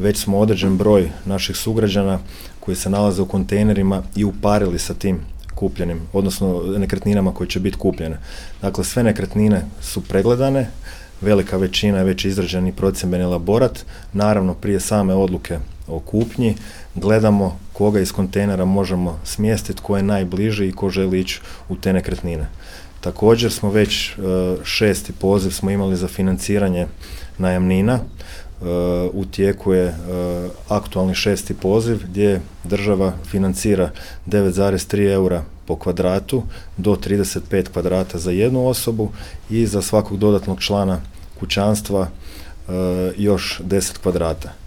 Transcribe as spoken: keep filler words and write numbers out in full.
Već smo određen broj naših sugrađana koji se nalaze u kontejnerima i uparili sa tim kupljenim, odnosno nekretninama koje će biti kupljene. Dakle, sve nekretnine su pregledane, velika većina je već izrađeni procjembeni elaborat. Naravno, prije same odluke o kupnji gledamo koga iz kontejnera možemo smjestiti, ko je najbliži i ko želi ići u te nekretnine. Također smo već šesti poziv smo imali za financiranje najamnina. U tijeku je aktualni šesti poziv gdje država financira devet zarez tri eura po kvadratu do trideset pet kvadrata za jednu osobu i za svakog dodatnog člana kućanstva još deset kvadrata.